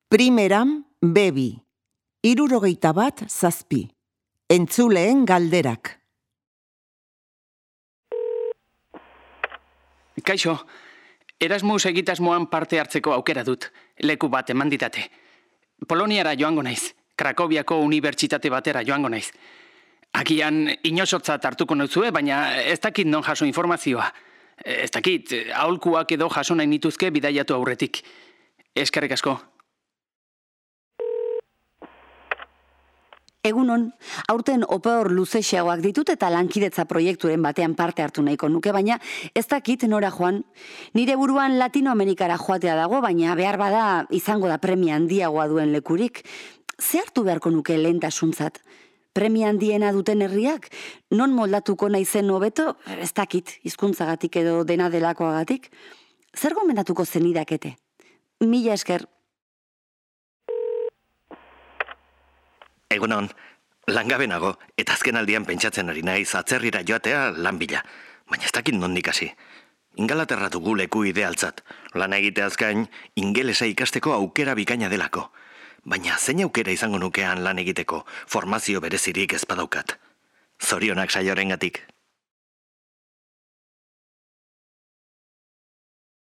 Primeran, bebi. 61 Entzuleen galderak. Kaixo, Erasmus egitasmoan parte hartzeko aukera dut. Leku bat eman ditate. Poloniara joango naiz. Krakoviako unibertsitate batera joango naiz. Agian inozotzat hartuko nauzue, baina ez dakit non jaso informazioa. Ez dakit, aholkuak edo jaso nahi nituzke bidaiatu aurretik. Eskerrik asko. Egunon, aurten opor luzexeagoak ditut eta lankidetza proiekturen batean parte hartu nahiko nuke, baina ez dakit nora joan. Nire buruan Latinoamerikara joatea dago, baina behar bada izango da premia handiagoa duen lekurik. Ze hartu beharko nuke lehentasuntzat? Premia handiena duten herriak? Non moldatuko naizen hobeto? Ez dakit, hizkuntzagatik edo dena delakoagatik. Zer gomendatuko zenidakete? Mila esker. Egunon, langabe nago, eta azken aldian pentsatzen ari naiz atzerrira joatea lan bila. Baina ez dakit nondik hasi. Ingalaterra dugu leku idealtzat. Lan egiteaz gain, ingelesa ikasteko aukera bikaina delako. Baina zein aukera izango nukean lan egiteko, formazio berezirik ez badaukat. Zorionak saioarengatik.